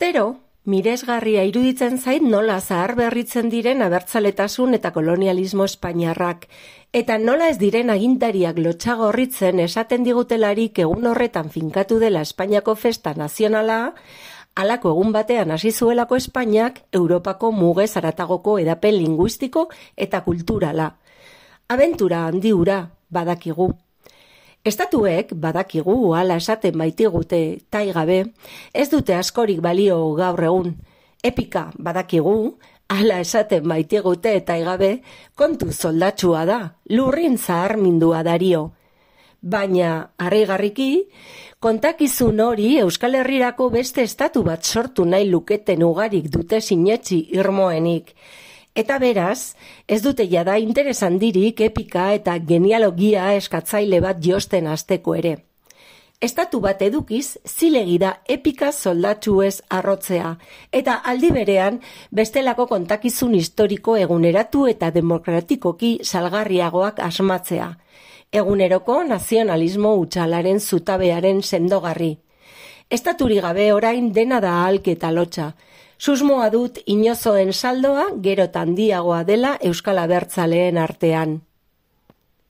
Urtero, miresgarria iruditzen zait nola zaharberritzen diren abertzaletasun eta kolonialismo espainiarrak, eta nola ez diren agintariak lotxagorritzen esaten digutelarik egun horretan finkatu dela Espainiako festa nazionala, halako egun batean hasi zuelako Espainiak Europako mugez haratagoko edapen linguistiko eta kulturala. Abentura handi hura badakigu. Estatuek badakigu hala esaten baitigute taigabe, ez dute askorik balio gaur egun. Epika badakigu hala esaten baitigute taigabe, kontu soldatsua da, lurrin zaharmindua dario. Baina, harrigarriki, kontakizun hori Euskal Herrirako beste estatu bat sortu nahi luketen ugarik dute sinetsi irmoenik. Eta beraz, ez dute jada interes handirik epika eta genealogia eskatzaile bat josten hasteko ere. Estatu bat edukiz, zilegi da epika soldatsuez arrotzea, eta aldi berean bestelako kontakizun historiko eguneratu eta demokratikoki salgarriagoak asmatzea. Eguneroko nazionalismo hutsalaren zutabearen sendogarri. Estaturi gabe orain dena da ahalke eta lotxa. Susmoa dut inozoen saldoa gero eta handiagoa dela Euskal Abertzaleen artean.